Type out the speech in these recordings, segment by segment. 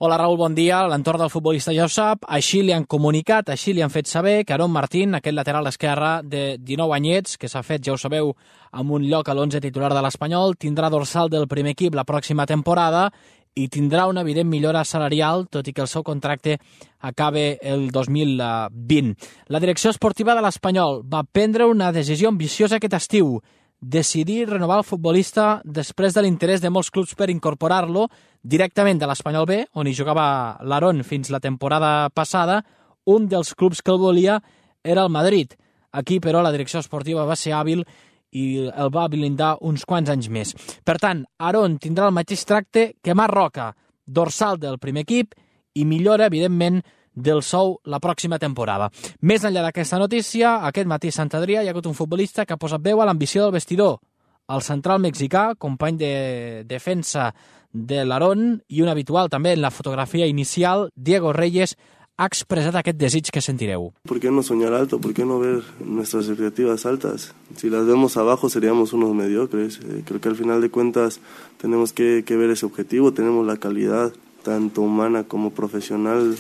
Hola Raül, bon dia. L'entorn del futbolista ja ho sap, així li han comunicat, així li han fet saber que Aarón Martín, aquest lateral esquerre de 19 anyets, que s'ha fet, ja ho sabeu, amb un lloc a l'11 titular de l'Espanyol, tindrà dorsal del primer equip la pròxima temporada i tindrà una evident millora salarial, tot i que el seu contracte acabe el 2020. La direcció esportiva de l'Espanyol va prendre una decisió ambiciosa aquest estiu, decidir renovar el futbolista després de l'interès de molts clubs per incorporar-lo directament de l'Espanyol B, on hi jugava l'Aarón fins la temporada passada. Un dels clubs que el volia era el Madrid. Aquí, però, la direcció esportiva va ser hàbil i el va blindar uns quants anys més. Per tant, Aarón tindrà el mateix tracte que Marc Roca, dorsal del primer equip i millora, evidentment, del sou la pròxima temporada. Més enllà d'aquesta notícia, aquest matí a Sant Adrià hi ha hagut un futbolista que ha posat veu a l'ambició del vestidor. El central mexicà, company de defensa de l'Aarón i un habitual també en la fotografia inicial, Diego Reyes, ha expressat aquest desig que sentireu. ¿Por qué no soñar alto? ¿Por qué no ver nuestras expectativas altas? Si las vemos abajo seríamos unos mediocres. Creo que al final de cuentas tenemos que ver ese objetivo. Tenemos la calidad, tanto humana como profesional,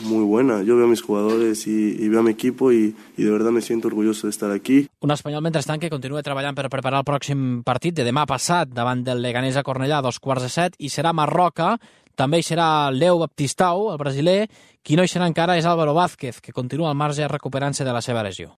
muy buena. Yo veo a mis jugadores y veo a mi equipo y de verdad me siento orgulloso de estar aquí. Un espanyol, mentrestant, que continua treballant per preparar el pròxim partit de demà passat davant del Leganés a Cornellà a 7:15 i serà Marc Roca. També hi serà Leo Baptistao, el brasiler. Qui no hi serà encara és Álvaro Vázquez, que continua al marge recuperant-se de la seva lesió.